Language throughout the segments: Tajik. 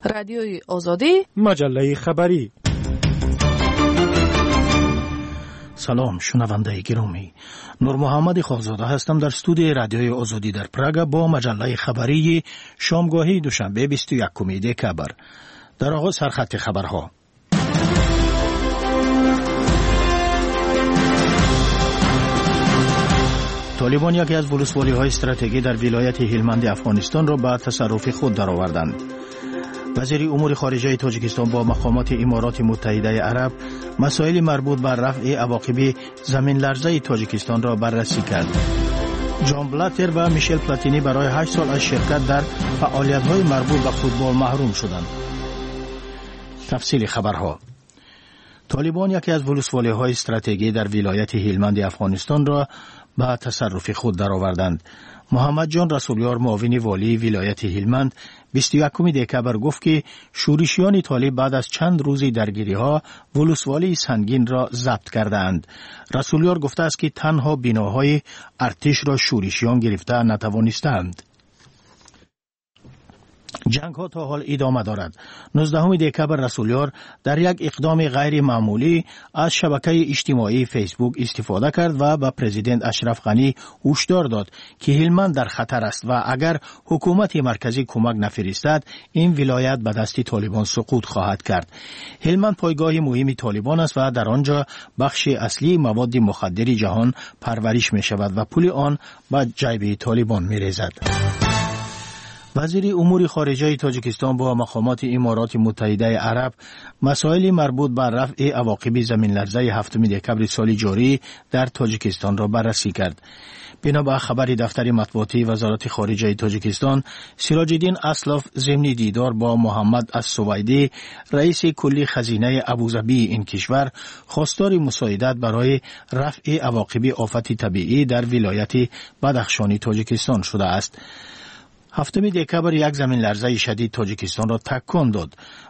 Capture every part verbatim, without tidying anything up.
Радиои Озодӣ, маҷаллаи хабарӣ. Салом, шунавандаи гиромӣ. Нурмуҳаммад Хоқзода ҳастам дар студияи Радиои Озодӣ дар Прага бо маҷаллаи хабарии шомгоҳии душанбе бисту якуми декабр. Дар оғоз сархати хабарҳо. Толибон яке аз вулусволиҳои стратегӣ дар вилояти Ҳилманди Афғонистонро ба тасарруфи худ дароварданд. Вазири умури хориҷаи Тоҷикистон бо мақомоти Имороти Муттаҳидаи Араб масоили марбут ба рафъи авоқиби заминларзаи Тоҷикистонро баррасӣ кард. Ҷон Блаттер ва Мишел Платини барои ҳашт сол аз ширкат дар фаъолиятҳои марбут ба футбол маҳрум шуданд. Тафсили хабарҳо. Толибон яке аз вулусволиҳои стратегӣ дар вилояти Ҳилманди Афғонистонро ба тасарруфи худ дароварданд. Муҳаммадҷон Расулёр, муовини волии вилояти Ҳилманд, бисту якуми декабр гуфт, ки шӯришиёни толиб баъд аз чанд рӯзи даргириҳо вулусволии Сангинро забт кардаанд. Расулёр гуфтааст, ки танҳо биноҳои артишро шӯришиён гирифта натавонистаанд. Ҷангҳо то ҳол идома дорад. нуздаҳуми декабр Расулёр дар як иқдоми ғайримаъмулӣ аз шабакаи иҷтимоии Фейсбук истифода кард ва ба президент Ашраф Ғанӣ ҳушдор дод, ки Ҳилманд дар хатар аст ва агар ҳукумати марказӣ кӯмак нафиристад, ин вилоят ба дасти толибон суқут хоҳад кард. Ҳилманд пойгоҳи муҳими толибон аст ва дар он ҷо бахши аслии маводи мухаддири ҷаҳон парвариш мешавад ва пули он ба ҷайби толибон мерезад. Вазири умури хориҷаи Тоҷикистон бо мақомоти Имороти Муттаҳидаи Араб масоили марбут ба рафъи авоқиби заминларзаи ҳафтуми декабри соли ҷорӣ дар Тоҷикистонро баррасӣ кард. Бино ба хабари дафтари матбуотии Вазорати хориҷаи Тоҷикистон, Сироҷиддин Аслов зимни дидор бо Муҳаммад Ассувайдӣ, раиси кулли хазинаи Абузабии ин кишвар, хостори мусоидат барои рафъи авоқиби офати табиӣ дар вилояти Бадахшони Тоҷикистон шудааст. ҳафтуми декабр як заминларзаи шадид Тоҷикистонро такон дод.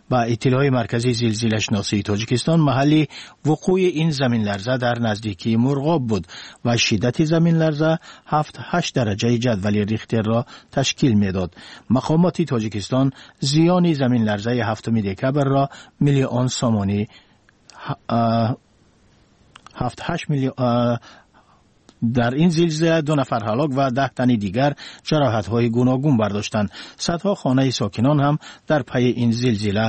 Ба иттилои Маркази зилзилашиносии Тоҷикистон, маҳалли вуқӯи ин заминларза дар наздикии Мурғоб буд ва шиддати заминларза ҳафт ҳашт дараҷаи ҷадвали Рихтерро ташкил медод. Мақомоти Тоҷикистон зиёни заминларзаи ҳафтуми декабрро миллион сомонӣ ҳафт ҳашт миллион дар ин зилзила ду нафар ҳалок ва даҳ тани дигар ҷароҳатҳои гуногун бардоштанд. Садҳо хонаи сокинон ҳам дар пайи ин зилзила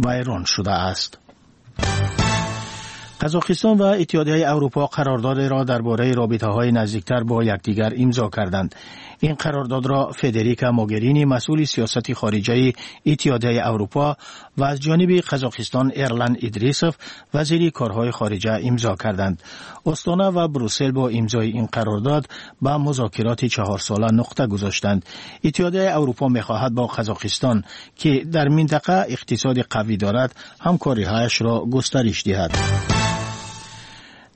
вайрон шудааст. Қазоқистон ва Иттиҳодияи Аврупо қарордодеро дар бораи робитаҳои наздиктар бо якдигар имзо карданд. Ин қарордодро Федерика Могерини, масъули сиёсати хориҷаи Иттиҳодияи Аврупо, ва аз ҷониби Қазоқистон Эрлан Идрисов, вазири корҳои хориҷа, имзо карданд. Остона ва Брюссел бо имзои ин қарордод ба музокироти чаҳорсола нуқта гузоштанд. Иттиҳодияи Аврупо мехоҳад бо Қазоқистон, ки дар минтақа иқтисоди қавӣ дорад, ҳамкориҳояшро густариш диҳад.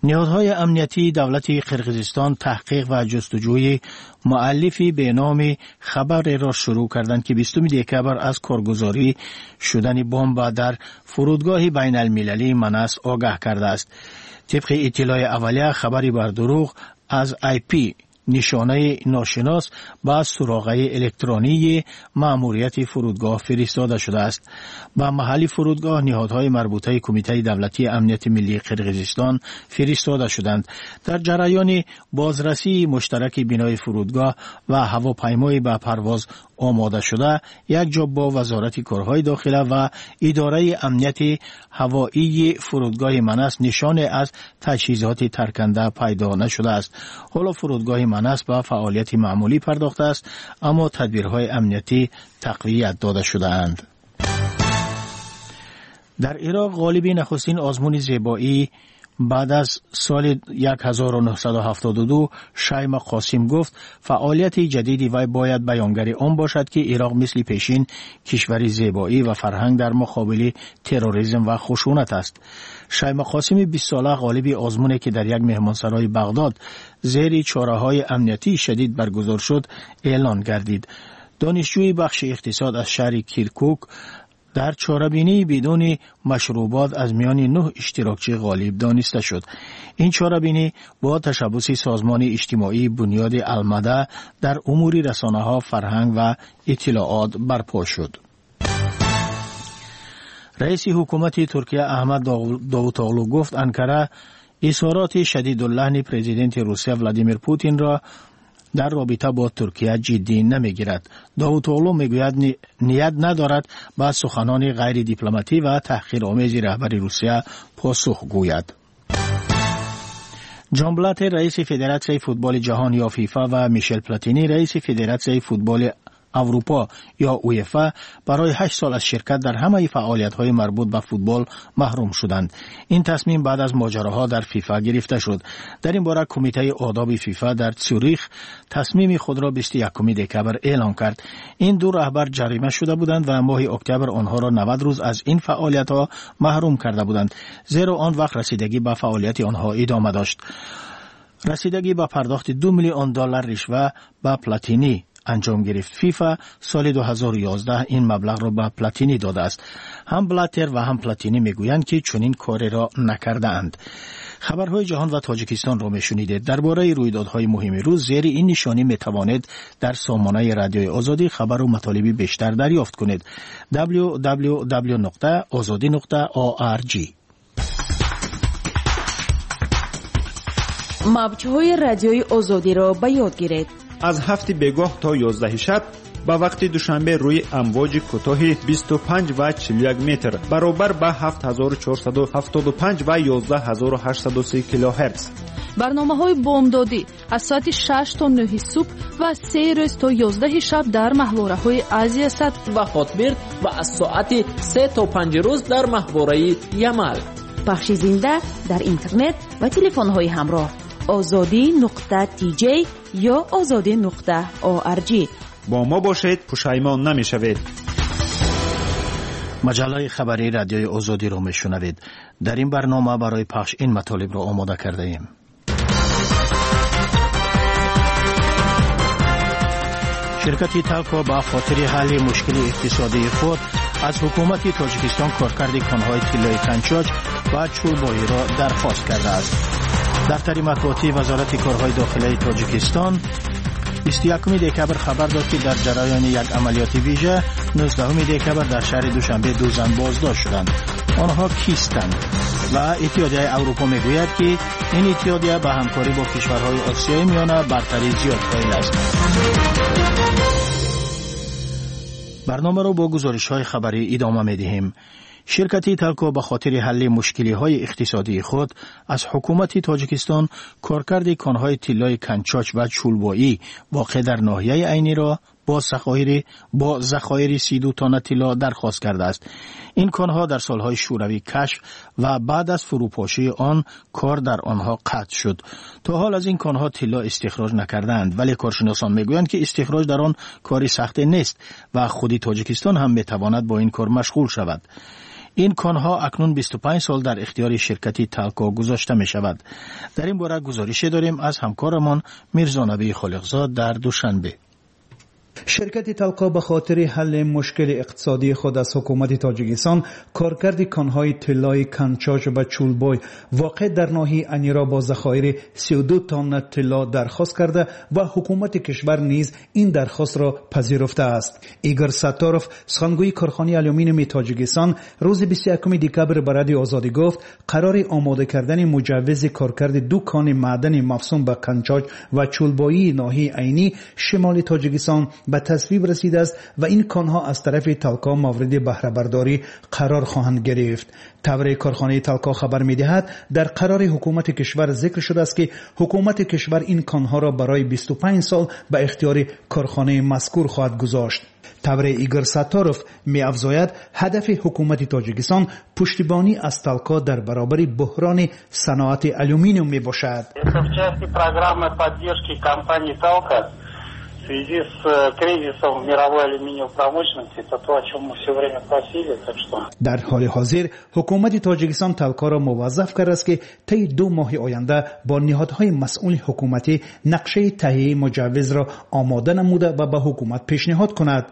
Ниҳодҳои амниятии давлати Қирғизистон таҳқиқ ва ҷустуҷӯи муаллифи беноми хабареро шурӯъ карданд, ки бистуми декабр аз коргузорӣ шудани бомба дар фурудгоҳи байналмилалии Манас огаҳ кардааст. Тибқи иттилои аввалия, хабари бардурӯғ аз ай пи нишонаи ношинос ба суроғаи электронии маъмурияти фурудгоҳ фиристода шудааст. Ба маҳалли фурудгоҳ ниҳодҳои марбутаи Кумитаи давлатии амнияти миллии Қирғизистон фиристода шуданд. Дар ҷараёни бозрасии муштараки бинои фурудгоҳ ва ҳавопаймои ба парвоз омода шуда, якҷо бо Вазорати корҳои дохила ва идораи амнияти ҳавоии фурудгоҳи Манас нишоне аз таҷҳизоти тарканда пайдо нашудааст. Ҳоло фурудгоҳи Манас ба фаъолияти маъмулӣ пардохтааст, аммо тадбирҳои амниятӣ тақвият дода шудаанд. Дар Ироқ ғолиби нахустин озмуни зебоӣ баъд аз соли ҳазору нӯҳсаду ҳафтоду ду Шайма Қосим гуфт, фаъолияти ҷадиди вай бояд баёнгари он бошад, ки Ироқ мисли пешин кишвари зебоӣ ва фарҳанг дар муқобили терроризм ва хушунат аст. Шайма Қосими бистсола ғолиби озмуне, ки дар як меҳмонсарои Бағдод зери чораҳои амниятии шадид баргузор шуд, эълон гардид. Донишҷӯи бахши иқтисод аз шаҳри Киркук дар чорабинии бидуни машрубот аз миёни нӯҳ иштирокчӣ ғолиб дониста шуд. Ин чорабинӣ бо ташаббуси созмони иҷтимоии Бунёди Алмада дар умури расонаҳо, фарҳанг ва иттилоот барпо шуд. Раиси ҳукумати Туркия Аҳмад Довутоғлу гуфт, Анкара изҳороти шадидуллаҳни президенти Русия Владимир Путинро дар робита бо Туркия ҷиддӣ намегирад. Довутоғлу мегӯяд, ният надорад ба суханони ғайридипломатӣ ва таҳқиромези раҳбари Русия посух гӯяд. Ҷон Блатер, раиси Федератсияи футболи ҷаҳон ё ФИФА, ва Мишел Платини, раиси Федератсияи футболи Аврупо ё УЕФА, барои ҳашт сол аз ширкат дар ҳамаи фаъолиятҳои марбут ба футбол маҳрум шуданд. Ин тасмим баъд аз моҷароҳо дар ФИФА гирифта шуд. Дар ин бора Кумитаи одоби ФИФА дар Цюрих тасмими худро бисту якуми декабр эълон кард. Ин ду раҳбар ҷарима шуда буданд ва моҳи октябр онҳоро навад рӯз аз ин фаъолиятҳо маҳрум карда буданд, зеро он вақт расидагӣ ба фаъолияти онҳо идома дошт. Расидагӣ ба пардохти ду миллион доллар ришва ба Платини анҷом гирифт. ФИФА соли ду ҳазору ёздаҳ ин маблағро ба Платини додааст. Ҳам Блатер ва ҳам Платини мегӯянд, ки чунин кореро накардаанд. Хабарҳои ҷаҳон ва Тоҷикистонро мешунидед. Дар бораи рӯйдодҳои муҳими рӯз зери ин нишонӣ метавонед дар сомонаи Радиои Озодӣ хабару матолиби бештар дарёфт кунед. дабл-ю дабл-ю дабл-ю нуқта озодӣ нуқта орг. Мавҷҳои Радиои Озодиро ба ёд гиред. Аз ҳафти бегоҳ то ёздаҳи шаб ба вақти Душанбе рӯи амвоҷи кӯтоҳи бисту панҷ ва чилу як метр баробар ба ҳафт ҳазору чорсаду ҳафтоду панҷ ва ёздаҳ ҳазору ҳаштсаду си килоҳерц. Барномаҳои бомдодӣ аз соати шаш то нӯҳи субҳ ва се рӯз то ёздаҳи шаб дар маҳвораҳои Азиясат ва Хотбирд ва аз соати се то панҷ рӯз дар маҳвораи Ямал. Пахши зинда дар интернет ва телефонҳои ҳамроҳ озодӣ нуқта тиҷей ё озодӣ нуқта орг. Бо мо бошед, пушаймон намешавед. Маҷаллаи хабарии Радиои Озодиро мешунавед. Дар ин барнома барои пахш ин матолибро омода кардаем. Ширкати Талко ба хотири ҳалли мушкили иқтисодии худ аз ҳукумати Тоҷикистон коркарди конҳои тиллои Канчоч ва Чӯлбоиро дархост кардааст. Дафтари матбуотии Вазорати корҳои дохилаи Тоҷикистон бисту якуми декабр хабар дод, ки дар ҷараёни як амалиёти вижа нуздаҳуми декабр дар шаҳри Душанбе ду зан боздошт шуданд. Онҳо кистанд? Ва Иттиҳодияи Аврупо мегӯяд, ки ин иттиҳодия ба ҳамкорӣ бо кишварҳои Осиёи Миёна бартарии зиёд қоил аст. Барномаро бо гузоришҳои хабарӣ идома медиҳем. Ширкати Талко ба хотири ҳалли мушкилиҳои иқтисодии худ аз ҳукумати Тоҷикистон коркарди конҳои тиллои Канчоч ва Чӯлбоӣ воқеъ дар ноҳияи Айниро бо захоири бо захоири си ду тонна тилло дархост кардааст. Ин конҳо дар солҳои шӯравӣ кашф ва баъд аз фурӯпошии он кор дар онҳо қатъ шуд. То ҳол аз ин конҳо тилло истихроҷ накардаанд, вале коршиносон мегӯянд, ки истихроҷ дар он кори сахте нест ва худи Тоҷикистон ҳам метавонад бо ин кор машғул шавад. Ин конҳо акнун бисту панҷ сол дар ихтиёри ширкати Талко гузошта мешавад. Дар ин бора гузорише дорем аз ҳамкорамон Мирзонабии Холиқзод дар Душанбе. Ширкати Талко ба хотири ҳалли мушкили иқтисодии худ аз ҳукумати Тоҷикистон коркарди конҳои тиллои Канчоч ва Чӯлбой воқеъ дар ноҳияи Айниро бо захоири сию ду тонна тилло дархост карда ва ҳукумати кишвар низ ин дархостро пазируфтааст. Игор Сатторов, сухангӯи корхонаи алюминиуми Тоҷикистон, рӯзи бисту якуми декабр ба Радиои Озодӣ гуфт, қарори омода кардани муҷаввизи коркарди ду кони маъдани мавсум ба Канчоч ва Чӯлбоии ноҳияи Айнӣ шимоли Тоҷикистон ба тасвиб расидааст ва ин конҳо аз тарафи Талко мавриди баҳрабардорӣ қарор хоҳанд гирифт. Тавре корхонаи Талко хабар медиҳад, дар қарори ҳукумати кишвар зикр шудааст, ки ҳукумати кишвар ин конҳоро барои бисту панҷ сол ба ихтиёри корхонаи мазкур хоҳад гузошт. Тавре Игор Сатторов меафзояд, ҳадафи ҳукумати Тоҷикистон пуштибонӣ аз Талко дар баробари буҳрони саноати алюминиум мебошад. Это в части программы поддержки компании Талко в связи с кризисом в мировой алюминиевой промышленности, это то, о чем мы все время просили, так что... Дар ҳоли ҳозир ҳукумати Тоҷикистон Талкоро муваззаф кардааст, ки тайи ду моҳи оянда бо ниҳодҳои масъули ҳукуматӣ нақшаи таҳияи муҷаввизро омода намуда ва ба ҳукумат пешниҳод кунад.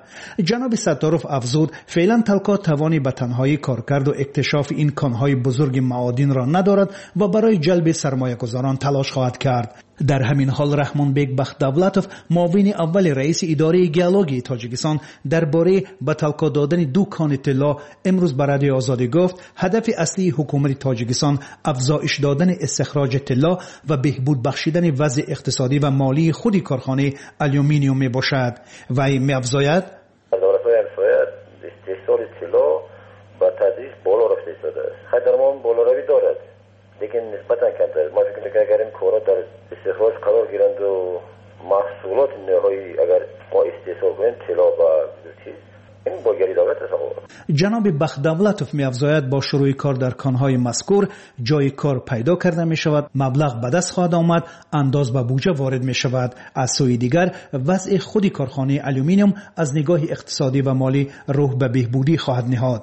Ҷаноби Сатторов афзуд, феълан Талко тавони ба танҳоӣ коркарду иктишофи ин конҳои бузурги маодинро надорад ва барои ҷалби сармоягузорон талош хоҳад кард. Дар ҳамин ҳол Раҳмонбек Бахтдавлатов, муовини аввали раиси идораи геологияи Тоҷикистон, дар бораи ба Талко додани ду кони тилло имрӯз ба Радиои Озодӣ гуфт, ҳадафи аслии ҳукумати Тоҷикистон афзоиш додани истихроҷи тилло ва беҳбуд бахшидани вазъи иқтисодӣ ва молии худи корхонаи алюминиум мебошад. Вай меафзояд: давлатҳои ҳамсоя истеҳсоли тилло ба тадриҷ боло рафта истодааст. Хай, дар мо болоравӣ дорад, лекин нисбатан камтар. Мо фикр мекунем, агар ин корҳо дар истихроҷ қарор гиранд ва маҳсулоти ниҳоӣ агар мо истеҳсол кунем тилло ба чиз, ин бойгарии давлат аст. Ҷаноби Бахтдавлатов меафзояд, бо шурӯи кор дар конҳои мазкур ҷои кор пайдо карда мешавад, маблағ ба даст хоҳад омад, андоз ба буҷа ворид мешавад. Аз сӯи дигар, вазъи худи корхонаи алюминиум аз нигоҳи иқтисодӣ ва молӣ рӯҳ ба беҳбудӣ хоҳад ниҳод.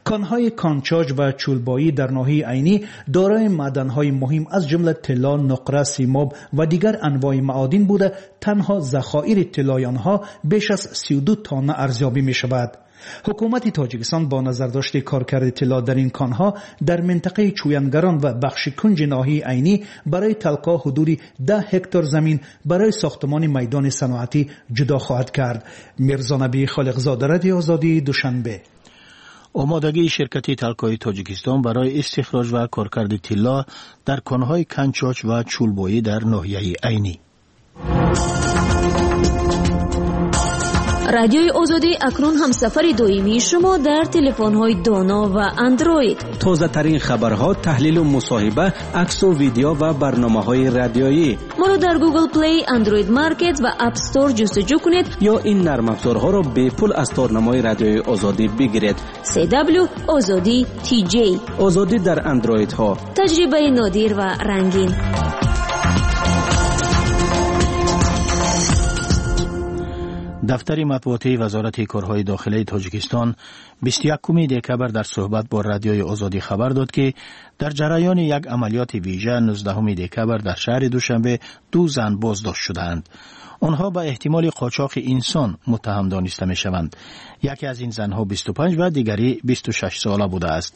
Конҳои Кончоҷ ва Чӯлбоӣ дар ноҳияи Айнӣ дорои маъданҳои муҳим аз ҷумла тилло, нуқра, симоб ва дигар анвои маодин буда, танҳо захоири тиллои онҳо беш аз сию ду тонна арзёбӣ мешавад. Ҳукумати Тоҷикистон бо назардошти коркарди тилло дар ин конҳо дар минтақаи Чӯянгарон ва бахши кунҷи ноҳияи Айнӣ барои Талко ҳудуди даҳ ҳектар замин барои сохтмони майдони саноатӣ ҷудо хоҳад кард. Мирзонабӣ Холиқзода, Радиои Озодӣ, Душанбе. Омодагии ширкати Талкои Тоҷикистон барои истихроҷ ва коркарди тилло дар конҳои Канчоч ва Чӯлбоӣ дар ноҳияи Айнӣ. Радиои Озодӣ акнун ҳамсафари доимии шумо дар телефонҳои доно ва андроид. Тозатарин хабарҳо, таҳлилу мусоҳиба, аксу видео ва барномаҳои радиоӣ. Моро дар Google Play, Android Market ва App Store ҷустуҷӯ кунед ё ин нармафзорҳоро бепул аз торнамои Радиои Озодӣ бигиред. си дабл ю Озодӣ ти ҷей. Озодӣ дар андроидҳо. Таҷрибаи нодир ва рангин. Дафтари матбуотии Вазорати корҳои дохилаи Тоҷикистон бисту якуми декабр дар суҳбат бо Радиои Озодӣ хабар дод, ки дар ҷараёни як амалиёти вижа нуздаҳуми декабр дар шаҳри Душанбе ду зан боздошт шудаанд. Онҳо ба эҳтимоли қочоқи инсон муттаҳам дониста мешаванд. Яке аз ин занҳо бисту панҷ ва дигари бисту шаш сола будааст.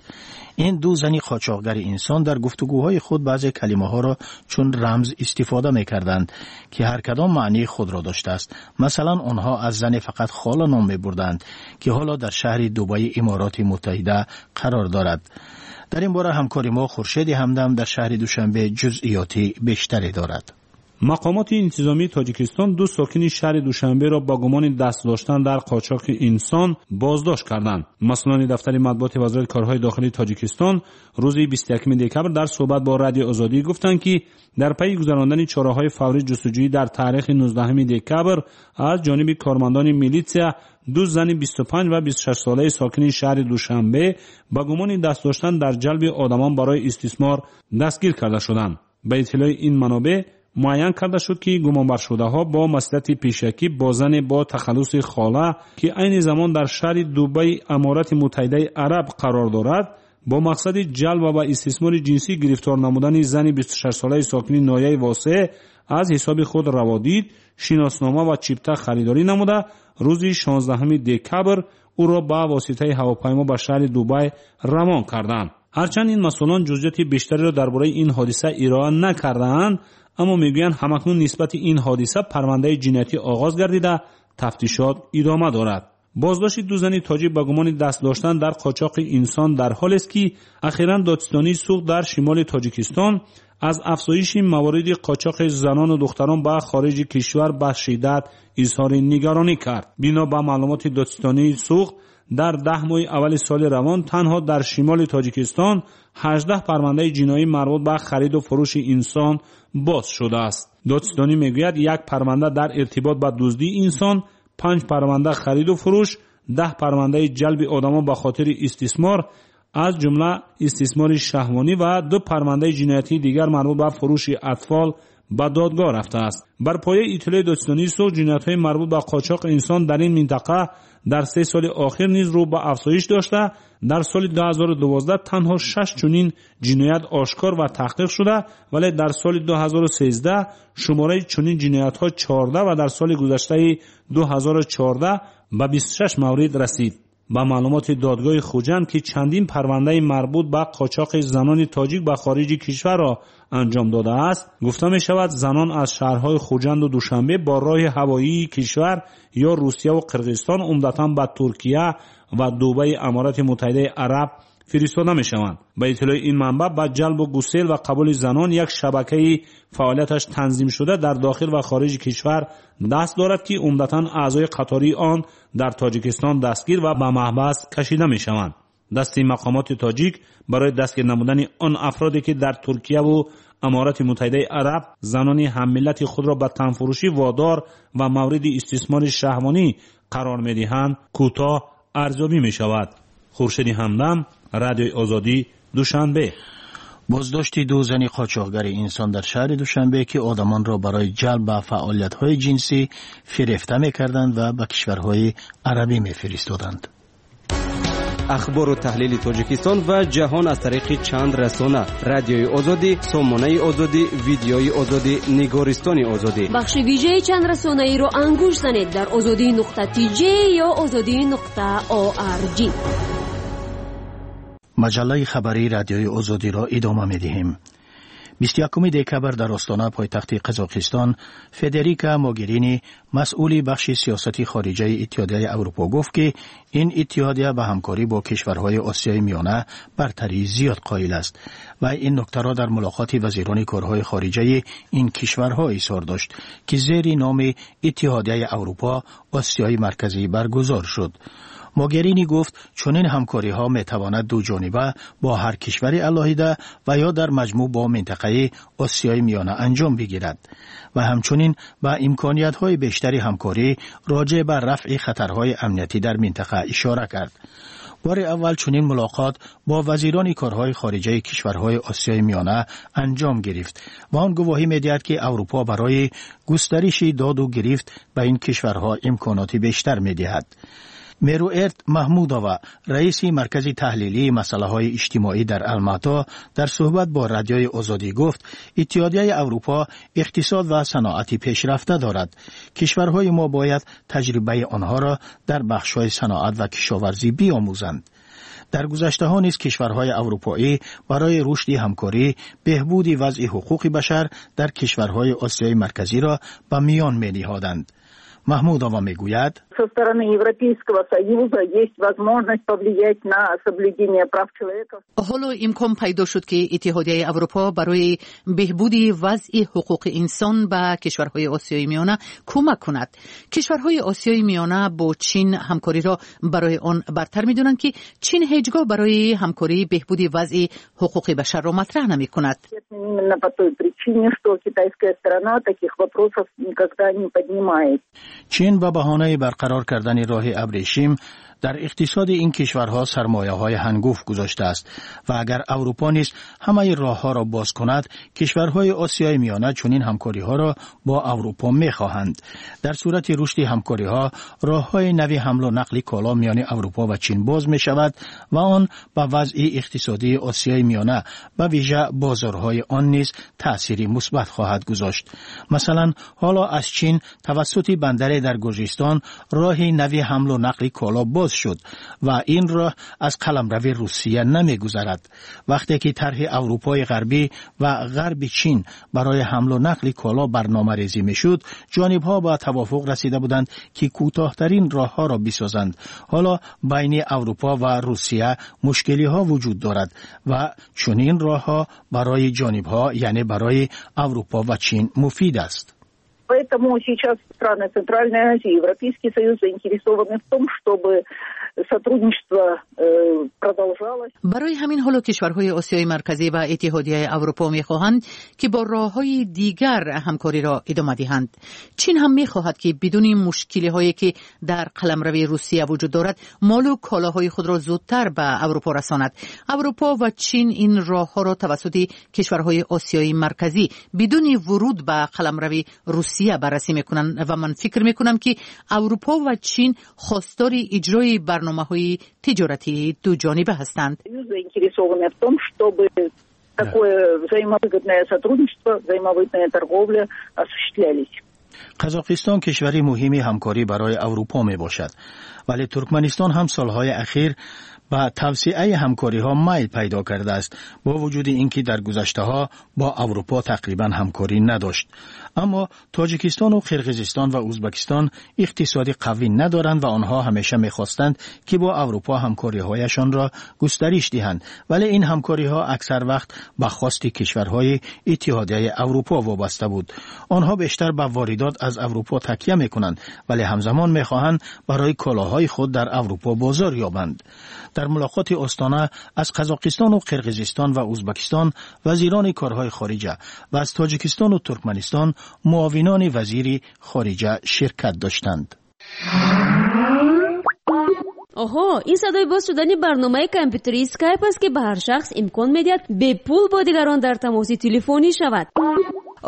Ин ду зани қочоқгари инсон дар гуфтугӯҳои худ баъзе калимаҳоро чун рамз истифода мекарданд, ки ҳар кадом маънии худро доштааст. Масалан, онҳо аз зане фақат хола ном мебурданд, ки ҳоло дар шаҳри Дубайи Имороти Муттаҳида қарор дорад. Дар ин бора ҳамкори мо Хуршеди Ҳамдам дар шаҳри Душанбе ҷузъиёти бештаре дорад. Мақомоти интизомии Тоҷикистон ду сокини шаҳри Душанберо ба гумони даст доштан дар қочоқи инсон боздошт карданд. Масъулони дафтари матбуоти Вазорати корҳои дохилии Тоҷикистон рӯзи бисту якуми декабр дар суҳбат бо Радиои Озодӣ гуфтанд, ки дар пайи гузарондани чораҳои фаврии ҷустуҷӯӣ дар таърихи нуздаҳуми декабр аз ҷониби кормандони милитсия ду зани бисту панҷ ва бисту шаш солаи сокини шаҳри Душанбе ба гумони даст доштан дар ҷалби одамон барои истисмор дастгир карда шуданд. Ба иттилои ин манобеъ муайян карда шуд, ки гумонбаршудаҳо бо маслиҳати пешакӣ бо зане бо тахаллуси хола, ки айни замон дар шаҳри Дубайи Аморати Муттаҳидаи Араб қарор дорад, бо мақсади ҷалб ва ба истисмори ҷинсӣ гирифтор намудани зани бисту шаш солаи сокини ноҳияи Восеъ аз ҳисоби худ раводид, шиноснома ва чипта харидорӣ намуда, рӯзи шонздаҳуми декабр ӯро ба воситаи ҳавопаймо ба шаҳри Дубай равон карданд. Ҳарчанд ин масъулон ҷузъиёти бештареро дар бораи ин ҳодиса ироа накардаанд, аммо мегӯянд ҳамакнун нисбати ин ҳодиса парвандаи ҷиноятӣ оғоз гардида, тафтишот идома дорад. Боздошти ду зани тоҷик ба гумони даст доштан дар қочоқи инсон дар ҳолест, ки ахиран додситонии Суғд дар шимоли Тоҷикистон аз афзоиши мавориди қочоқи занону духтарон ба хориҷи кишвар ба шиддат изҳори нигаронӣ кард. Бино ба маълумоти додситонии Суғд, дар даҳ моҳи аввали соли равон танҳо дар шимоли Тоҷикистон ҳаждаҳ парвандаи ҷиноӣ марбут ба хариду фурӯши инсон боз шудааст. Додситонӣ мегӯяд, як парванда дар иртибот ба дуздии инсон, панҷ парванда хариду фурӯш, даҳ парвандаи ҷалби одамон ба хотири истисмор, аз ҷумла истисмори шаҳвонӣ ва ду парвандаи ҷиноятии дигар марбут ба фурӯши атфол ба додгоҳ рафтааст. Бар пояи иттилои додситонии Суғд, ҷиноятҳои марбут ба қочоқи инсон дар ин минтақа дар се соли охир низ рӯ ба афзоиш дошта, дар соли ду ҳазору дувоздаҳ танҳо шаш чунин ҷиноят ошкор ва таҳқиқ шуда, вале дар соли ду ҳазору сездаҳ шумораи чунин ҷиноятҳо чордаҳ ва дар соли гузаштаи ду ҳазору чордаҳ ба бисту шаш маврид расид. Ба маълумоти додгоҳи Хуҷанд, ки чандин парвандаи марбут ба қочоқи занони тоҷик ба хориҷи кишварро анҷом додааст, гуфта мешавад, занон аз шаҳрҳои Хуҷанду Душанбе бо роҳи ҳавоии кишвар ё Русияву Қирғизистон умдатан ба Туркия ва Дубаи Аморати Муттаҳидаи Араб фиристода мешаванд. Ба иттилои ин манбаъ, ба ҷалбу гусел ва қабули занон як шабакаи фаъолияташ танзимшуда дар дохил ва хориҷи кишвар даст дорад, ки умдатан аъзои қатории он дар Тоҷикистон дастгир ва ба маҳбас кашида мешаванд. Дасти мақомоти тоҷик барои дастгир намудани он афроде, ки дар Туркияву Аморати Муттаҳидаи Араб занони ҳаммиллати худро ба танфурӯшӣ водор ва мавриди истисмори шаҳвонӣ қарор медиҳанд, кӯтоҳ арзёбӣ мешавад. Хуршеди Ҳамдам, Радиои Озодӣ, Душанбе. Боздошти ду зани қочоқгари инсон дар шаҳри Душанбе, ки одамонро барои ҷалб ба фаъолиятҳои ҷинсӣ фирефта мекарданд ва ба кишварҳои арабӣ мефиристоданд. Ахбору таҳлили Тоҷикистон ва ҷаҳон аз тариқи чанд расона: Радиои Озодӣ, Сомонаи Озодӣ, Видеои Озодӣ, Нигористони Озодӣ. Бахши вижаи чанд расонаиро ангуш занед дар озодӣ нуқта тж ё озодӣ нуқта орг. Маҷаллаи хабарии Радиои Озодиро идома медиҳем. бисту якуми декабр дар Остона, пойтахти Қазоқистон, Федерика Могерини, масъули бахши сиёсати хориҷаи Иттиҳодияи Аврупо, гуфт, ки ин иттиҳодия ба ҳамкорӣ бо кишварҳои Осиёи Миёна бартарии зиёд қоил аст ва ин нуктаро дар мулоқоти вазирони корҳои хориҷаи ин кишварҳо изҳор дошт, ки зери номи Иттиҳодияи Аврупо Осиёи Марказӣ баргузор шуд. Могерини гуфт, чунин ҳамкориҳо метавонад дуҷониба бо ҳар кишвари алоҳида ва ё дар маҷмӯъ бо минтақаи Осиёи Миёна анҷом бигирад ва ҳамчунин ба имкониятҳои бештари ҳамкорӣ роҷеъ ба рафъи хатарҳои амниятӣ дар минтақа ишора кард. Бори аввал чунин мулоқот бо вазирони корҳои хориҷаи кишварҳои Осиёи Миёна анҷом гирифт ва он гувоҳӣ медиҳад, ки Аврупо барои густариши доду гирифт ба ин кишварҳо имконоти бештар медиҳад. Меруерт Маҳмудова, раиси Маркази таҳлилии масъалаҳои иҷтимоӣ дар Алмато, дар суҳбат бо Радиои Озодӣ гуфт, Иттиҳодияи Аврупо иқтисод ва саноати пешрафта дорад. Кишварҳои мо бояд таҷрибаи онҳоро дар бахшҳои саноат ва кишоварзӣ биомӯзанд. Дар гузаштаҳо низ кишварҳои аврупоӣ барои рушди ҳамкорӣ беҳбуди вазъи ҳуқуқи башар дар кишварҳои Осиёи Марказиро ба миён мениҳоданд. Маҳмудова мегӯяд: Со стороны Европейского Союза есть возможность повлиять на соблюдение прав человека. Ҳоло имкон пайдо шуд, ки Иттиҳодияи Аврупо барои беҳбуди вазъи ҳуқуқи инсон ба кишварҳои Осиёи Миёна кӯмак кунад. Кишварҳои Осиёи Миёна бо Чин ҳамкориро барои он бартар медонанд, ки Чин ҳеҷ гоҳ барои ҳамкории беҳбуди вазъи ҳуқуқи башарро матраҳ намекунад. Именно по той причине, что китайская сторона таких вопросов никогда не поднимает. Чин ба баҳонаи барқарор кардани роҳи абрешим дар иқтисоди ин кишварҳо сармояҳои ҳангуфт гузоштааст ва агар Аврупо низ ҳамаи роҳҳоро боз кунад, кишварҳои Осиёи Миёна чунин ҳамкориҳоро бо Аврупо мехоҳанд. Дар сурати рушди ҳамкориҳо роҳҳои нави ҳамлу нақли коло миёни Аврупо ва Чин боз мешавад ва он ба вазъи иқтисодии Осиёи Миёна, ба вижа бозорҳои он низ таъсири мусбат хоҳад гузошт. Масалан, ҳоло аз Чин тавассути бандаре дар Гурҷистон роҳи нави ҳамлу нақли коло боз шуд ва ин роҳ аз қаламрави Русия намегузарад. Вақте ки тарҳи Аврупои Ғарбӣ ва Ғарби Чин барои ҳамлу нақли коло барномарезӣ мешуд, ҷонибҳо ба тавофуқ расида буданд, ки кӯтоҳтарин роҳҳоро бисозанд. Ҳоло байни Аврупо ва Русия мушкилиҳо вуҷуд дорад ва чунин роҳҳо барои ҷонибҳо, яъне барои Аврупо ва Чин, муфид аст. Поэтому сейчас страны Центральной Азии, Европейский Союз заинтересованы в том, чтобы сотрудничество э, продолжалось. Барои ҳамин ҳоло кишварҳои Осиёи Марказӣ ва Иттиҳодияи Аврупо мехоҳанд, ки бо роҳҳои дигар ҳамкориро идома диҳанд. Чин ҳам мехоҳад, ки бидуни мушкилиҳое, ки дар қаламрави Русия вуҷуд дорад, молу колоҳои худро зудтар ба Аврупо расонад. Аврупо ва Чин ин роҳҳоро тавассути кишварҳои Осиёи Марказӣ бидуни вуруд ба қаламрави Русия баррасӣ мекунанд ва ман фикр мекунам, ки Аврупо ва Чин хостори иҷрои барномаҳои тиҷоратии дуҷониба ҳастанд. Заинтересованы в том, чтобы такое взаимовыгодное сотрудничество, взаимовыгодная торговля осуществлялись. Қазоқистон кишвари муҳими ҳамкорӣ барои Аврупо мебошад Вале Туркманистон ҳам солҳои ахир ба тавсеаи ҳамкориҳо майл пайдо кардааст, бо вуҷуди ин ки дар гузаштаҳо бо Аврупо тақрибан ҳамкорӣ надошт. Аммо Тоҷикистону Қирғизистон ва Узбакистон иқтисоди қавӣ надоранд ва онҳо ҳамеша мехостанд, ки бо Аврупо ҳамкориҳояшонро густариш диҳанд. Вале ин ҳамкориҳо аксар вақт ба хости кишварҳои Иттиҳодияи Аврупо вобаста буд. Онҳо бештар ба воридот аз Аврупо такя мекунанд, вале ҳамзамон мехоҳанд барои колоҳои худ дар Аврупо бозор ёбанд. Дар мулоқоти Остона аз Қазоқистону Қирғизистон ва Узбакистон вазирони корҳои хориҷа ва аз Тоҷикистону Туркманистон муовинони вазири хориҷа ширкат доштанд. Оҳо, ин садои боз шудани барномаи компютерии Скайп аст, ки ба ҳар шахс имкон медиҳад бепул бо дигарон дар тамоси телефонӣ шавад.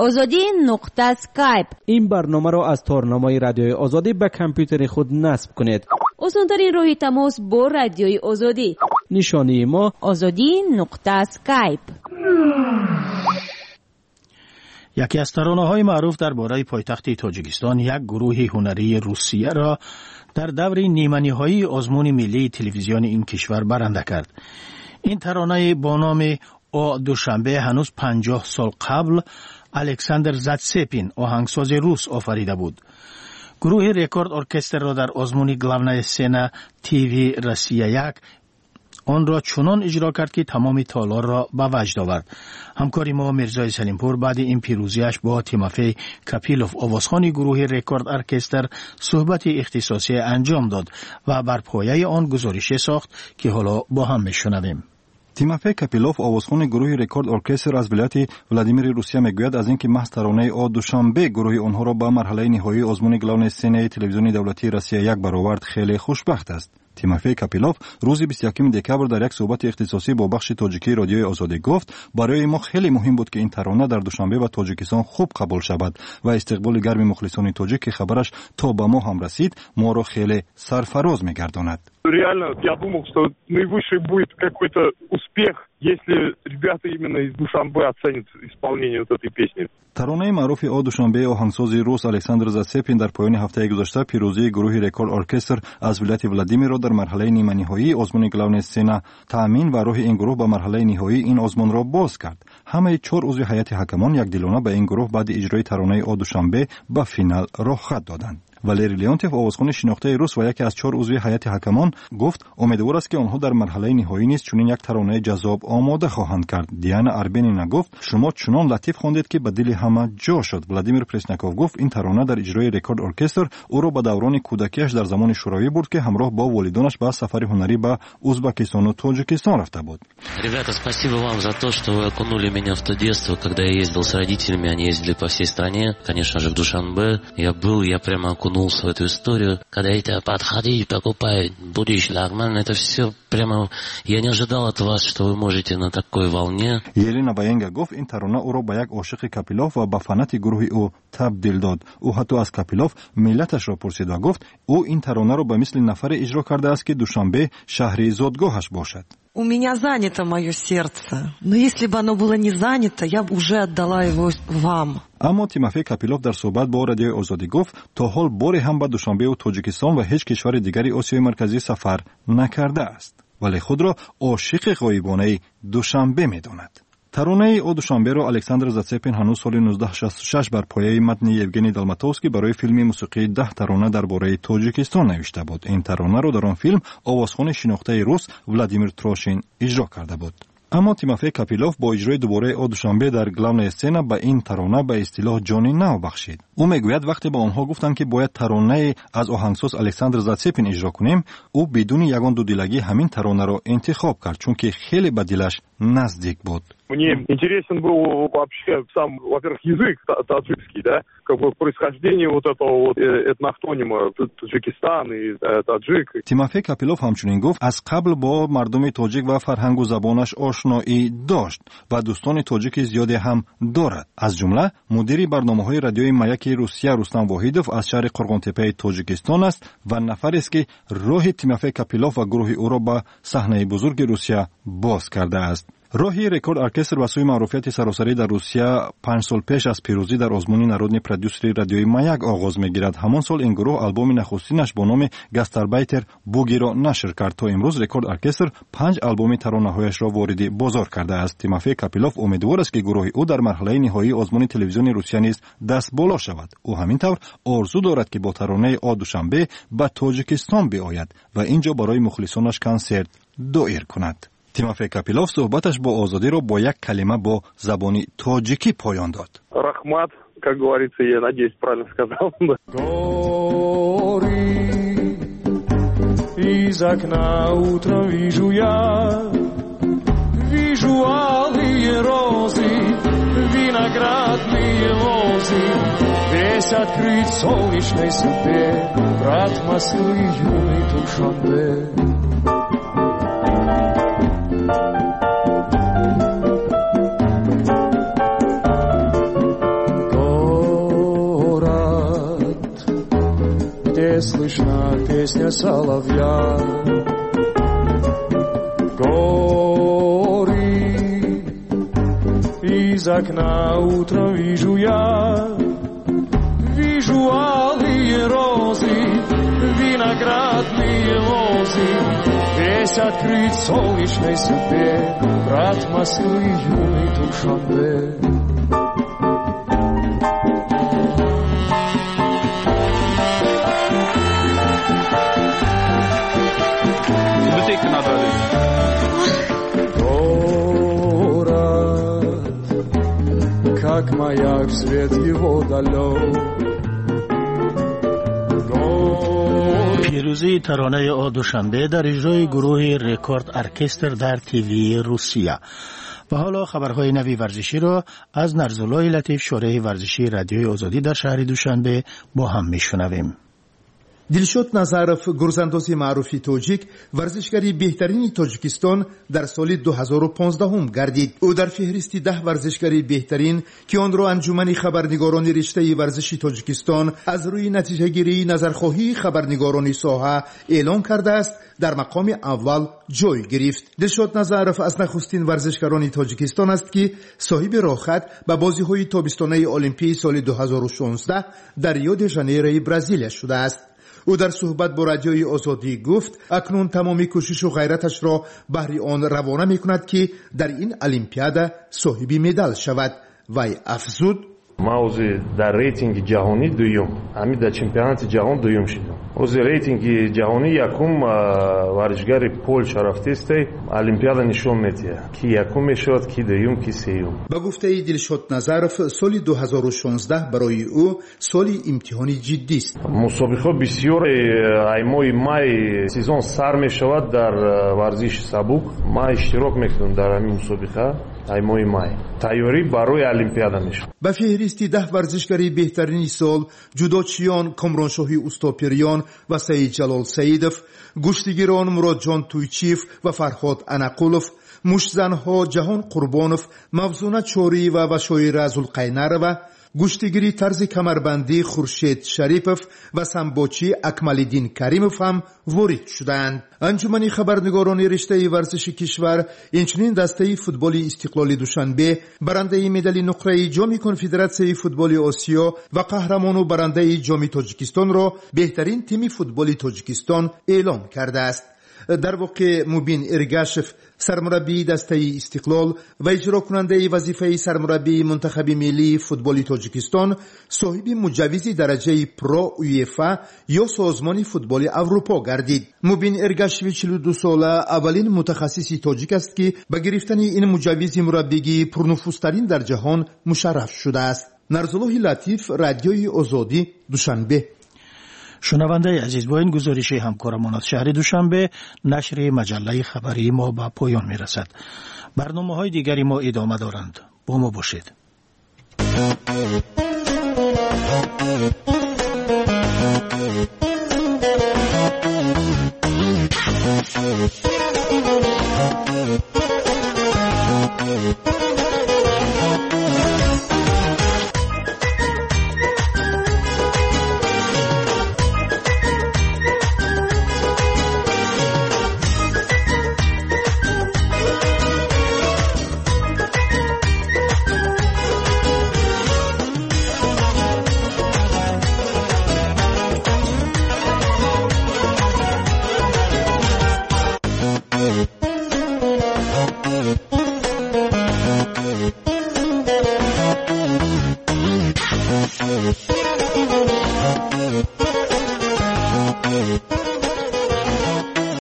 Озодӣ нуқта скайп. Ин барномаро аз торнамои Радиои Озодӣ ба компютери худ насб кунед. Осонтарин роҳи тамос бо Радиои Озодӣ. Нишонии мо Озодӣ нуқта скайп. Яке аз таронаҳои маъруф дар бораи пойтахти Тоҷикистон як гурӯҳи ҳунарии Русияро дар даври ниманиҳоии озмуни миллии телевизиони ин кишвар баранда кард. Ин таронаи бо номи «О Душанбе» ҳанӯз панҷоҳ сол қабл Александр Затсепин, оҳангсози рус, офарида буд. Гурӯҳи Рекорд Оркестрро дар озмуни «Главная сцена ТВ Россия як» онро чунон иҷро кард, ки тамоми толорро ба ваҷд овард. Ҳамкори мо Мирзои Салимпур баъди ин пирӯзиаш бо Тимофей Капилов, овозхони гурӯҳи Рекорд Оркестр, суҳбати ихтисосие анҷом дод ва бар пояи он гузорише сохт, ки ҳоло бо ҳам мешунавем. Тимофей Капилов, овозхони гурӯҳи Рекорд Оркестр аз вилояти Владимири Русия, мегӯяд, аз ин ки маҳз таронаи «О Душанбе» гурӯҳи онҳоро ба марҳалаи ниҳоии озмуни «Главная сцена»и телевизиони давлатии Россия як баровард, хеле хушбахт аст. Тимофей Капилов рӯзи бисту якуми декабр дар як суҳбати ихтисосӣ бо бахши тоҷикии Радиои Озодӣ гуфт: барои мо хеле муҳим буд, ки ин тарона дар Душанбе ва Тоҷикистон хуб қабул шавад ва истиқболи гарми мухлисони тоҷик, ки хабараш то ба мо ҳам расид, моро хеле сарфароз мегардонад. Реально, я думал, что наивысший будет какой-то успех, если ребята именно из Душанбе оценят исполнение вот этой песни. Таронаи маъруфи «О Душанбе» оҳангсози рус Александр Зацепин дар поёни ҳафтаи гузашта пирӯзии гурӯҳи Рекорд Оркестр аз вилояти Владимирро дар марҳалаи ниманиҳоии озмуни «Главная сцена» таъмин ва роҳи ин гурӯҳ ба марҳалаи ниҳоии ин озмунро боз кард. Ҳамаи чор узви ҳайати ҳакамон якдилона ба ин гурӯҳ баъди иҷрои таронаи «О Душанбе» ба финал роҳхат доданд. Валерий Леонтьев, овозхони шинохтаи рус ва яке аз чор узви ҳайати ҳакамон, гуфт, умедвор аст, ки онҳо дар марҳалаи ниҳоӣ низ чунин як таронаи ҷаззоб омода хоҳанд кард. Диана Арбенина гуфт: шумо чунон латиф хондед, ки ба дили ҳама ҷо шуд. Владимир Пресняков гуфт, ин тарона дар иҷрои Рекорд Оркестр ӯро ба даврони кӯдакиаш дар замони Шӯравӣ бурд, ки ҳамроҳ бо волидонаш ба сафари ҳунарӣ ба Узбакистону Тоҷикистон рафта буд. Ребята, спасибо вам за то, что вы окунули меня в то детство, когда я ездил с родителями, они ездили по всей стране, конечно же, в Душанбе. Я был, я прямо окунулся в эту историю. Когда это подходи, покупай, будешь лагман, это все прямо... Я не ожидал от вас, что вы можете на такой волне. Елена Ваенга гуфт, ин тарона ӯро ба як ошиқи Капилов ва ба фанати гурӯҳи ӯ табдил дод. Ӯ ҳатто аз Капилов миллаташро пурсид ва гуфт, ӯ ин таронаро ба мисли нафаре иҷро кардааст, ки Душанбе шаҳри зодгоҳаш бошад. У меня занято мое сердце, но если бы оно было не занято, я бы уже отдала его вам. Аммо Тимофей Капилов дар суҳбат бо Радиои Озодӣ гуфт, то ҳол боре ҳам ба Душанбеу Тоҷикистон ва ҳеҷ кишвари дигари Осиёи Марказӣ сафар накардааст, вале худро ошиқи ғоибонаи Душанбе медонад. Таронаи «О Душанберо» Александр Зацепин ҳанӯз соли нуздаҳ шасту шаш бар пояи матни Евгений Долматовский барои филми мусиқии даҳ тарона дар бораи Тоҷикистон навишта буд. Ин таронаро дар он филм овозхони шинохтаи рус Владимир Трошин иҷро карда буд. Аммо Тимофей Капилов бо иҷрои дубораи «О Душанбе» дар «Главная сцена» ба ин тарона ба истилоҳ ҷони нав бахшид. Ӯ мегӯяд, вақте ба онҳо гуфтанд, ки бояд таронае аз оҳангсоз Александр Зацепин иҷро кунем, ӯ бидуни ягон дудилагӣ ҳамин таронаро интихоб кард, чунки хеле ба дилаш наздик буд. Мне интересен был вообще сам, во-первых, язык таджикский, да, как бы происхождение вот этого вот этноавтонима Таджикистан и таджик. Тимофей Капилов ҳамчунин гуфт, аз қабл бо мардуми тоҷик ва фарҳангу забонаш ошноӣ дошт ва дӯстони тоҷики зиёде ҳам дорад. Аз ҷумла мудири барномаҳои радиои Маяки Русия Рустам Воҳидов аз шаҳри Қурғонтеппаи Тоҷикистон аст ва нафарест, ки роҳи Тимофей Капилов ва гурӯҳи ӯро ба саҳнаи бузурги Русия боз кардааст. Роҳи Рекорд Оркестр ба сӯи маъруфияти саросарӣ дар Русия панҷ сол пеш аз пирӯзӣ дар озмуни народный продюсери радиои Маяк оғоз мегирад. Ҳамон сол ин гурӯҳ албоми нахустинаш бо номи Гастарбайтер Бугиро нашр кард. То имрӯз Рекорд Оркестр панҷ албоми таронаҳояшро вориди бозор кардааст. Тимофей Капилов умедвор аст, ки гурӯҳи ӯ дар марҳилаи ниҳоии озмуни телевизиони Русия низ дастболо шавад. Ӯ ҳамин тавр орзу дорад, ки бо таронаи О Душанбе ба Тоҷикистон биояд ва ин ҷо барои мухлисонаш консерт доир кунад. Тимофей Капилов суҳбаташ бо Озодиро бо як калима бо забони тоҷикӣ поён дод. Раҳмат, как говорится, я надеюсь, правильно сказал. Горы из окна утром вижу я, вижу алые розы, виноградные лозы, весь открыт солнечной судьбе, брат Москвы юный Душанбе. Город, где слышна песня соловья, горы из окна утром вижу я, вижу алые розы, виноградные лозы, весь открыт солнечной судьбе, брат Москвы юный Душанбе. Город, как маяк, свет его далек. Пирӯзии таронаи О Душанбе дар иҷрои гурӯҳи Рекорд Оркестр дар ТВ Русия. Ва ҳоло хабарҳои нави варзиширо аз Нарзуллои Латиф, шореҳи варзишии Радиои Озодӣ дар шаҳри Душанбе бо ҳам мешунавем. Дилшод Назаров, гурзандози маъруфи тоҷик, варзишгари беҳтарини Тоҷикистон дар соли ду ҳазору понздаҳум гардид. Ӯ дар феҳристи даҳ варзишгари беҳтарин, ки онро Анҷумани хабарнигорони риштаи варзиши Тоҷикистон аз рӯи натиҷагирии назархоҳии хабарнигорони соҳа эълон кардааст, дар мақоми аввал ҷой гирифт. Дилшод Назаров аз нахустин варзишгарони Тоҷикистон аст, ки соҳиби роҳхат ба бозиҳои тобистонаи Олимпии соли ду ҳазору шонздаҳ дар Рио-де-Жанейрои Бразилия шудааст. Ӯ дар суҳбат бо Радиои Озодӣ гуфт, акнун тамоми кӯшишу ғайраташро баҳри он равона мекунад, ки дар ин олимпиада соҳиби медал шавад. Вай афзуд: ман ҳозир дар рейтинги ҷаҳонӣ дуюм, ҳамин дар чемпионати ҷаҳон дуюм шудам. Ҳозир рейтинги ҷаҳонӣ якум варзишгари Полша рафтестай, олимпиада нишон медиҳад, ки якум мешавад, ки дуюм, ки сеюм. Ба гуфтаи Дилшод Назаров, соли ду ҳазору шонздаҳ барои ӯ соли имтиҳони ҷиддист. Мусобиқаҳо бисёр, ай моҳи май сезон сар мешавад дар варзиши сабук. Ман иштирок мекунам дар ҳамин мусобиқа ай моҳи май. Тайёрӣ барои олимпиада мешавад. Ба феҳристи даҳ варзишгари беҳтарини сол ҷудочиён Комроншоҳи Устопириён ва Саидҷалол Саидов, гӯштигирон Муродҷон Туйчиев ва Фарҳод Анақулов, муштзанҳо Ҷаҳон Қурбонов, Мавзуна Чориева ва Шоира Зулқайнарова, гӯштигири тарзи камарбандӣ Хуршед Шарипов ва самбочӣ Акмалиддин Каримов ҳам ворид шудаанд. Анҷумани хабарнигорони риштаи варзиши кишвар инчунин дастаи футболи Истиқлоли Душанбе, барандаи медали нуқраи Ҷоми Конфедератсияи футболи Осиё ва қаҳрамону барандаи Ҷоми Тоҷикистонро беҳтарин тими футболи Тоҷикистон эълон кардааст. Дар воқеъ Мубин Эргашев, сармураббии дастаи Истиқлол ва иҷрокунандаи вазифаи сармураббии мунтахаби миллии футболи Тоҷикистон, соҳиби муҷаввизи дараҷаи Про УЕФА ё Созмони футболи Аврупо гардид. Мубин Эргашеви чилу ду сола аввалин мутахассиси тоҷик аст, ки ба гирифтани ин муҷаввизи мураббигии пурнуфузтарин дар ҷаҳон мушарраф шудааст. Нарзуллоҳи Латиф, Радиои Озодӣ, Душанбе. Шунавандаи азиз, бо ин гузориши ҳамкорамон аз шаҳри Душанбе нашри маҷаллаи хабарии мо ба поён мерасад. Барномаҳои дигари мо идома доранд. Бо мо бошед.